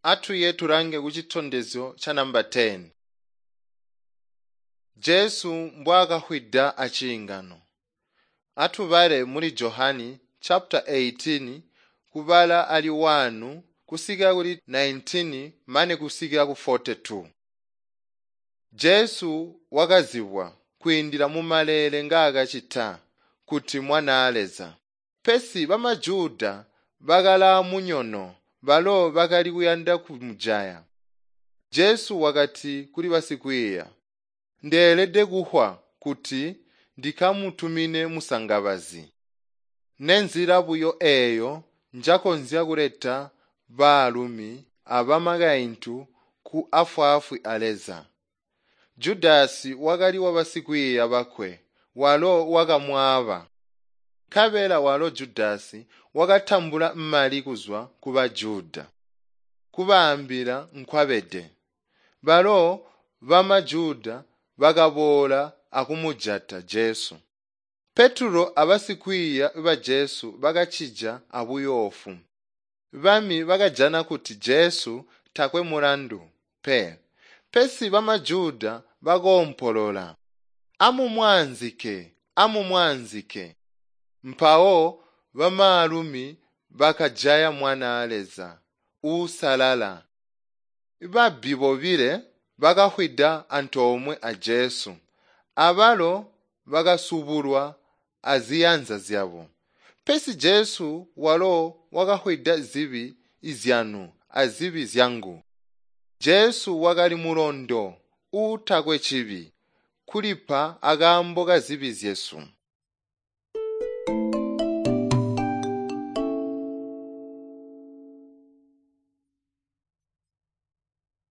Atuye tulange kucitondezyo ca namba 10. Jesu mbwaakafwida aciingano. Atubale muli Johani chapter 18 kubala ali 1 kusika kuli 19 mane kusika ku 42. Jesu wakazibwa kwiindila mu maleele ngaakacita kuti Mwanaa Leza. Pesi bamaJuda bakalaa munyono balo bakali kuyanda kumujaya. Jesu wakati kuli basikwiiya, “Ndeelede kufwa kuti ndikamutumine musangabazi. Nenzila buyo eeyo njakonzya kuleta baalumi abamakaintu ku afwaafwi a Leza.” Judasi wakali wabasikwiiya bakwe walo wakamwaaba. Nkabela walo Judasi wakatambula mali kuzwa ku Bajuda, kubaambila nkwabede. Balo bamaJuda bakaboola akumujata Jesu. Petulo abasikwiiya ba Jesu bakacija abuyoofu. Bami bakajana kuti Jesu takwe mulandu pe. Pesi bamaJuda bakoompolola, “Amumwaanzike! Amumwaanzike!” Mpawo bamaalumi bakajaya Mwanaa Leza uusalala. Babbi bobile bakafwida antoomwe a Jesu, abalo bakasubulwa aziyanza zyabo. Pesi Jesu walo wakafwida zibi zyanu azibi zyangu. Jesu wakali mulondo uutakwe cibi, kulipa akaambo kazibi zyesu.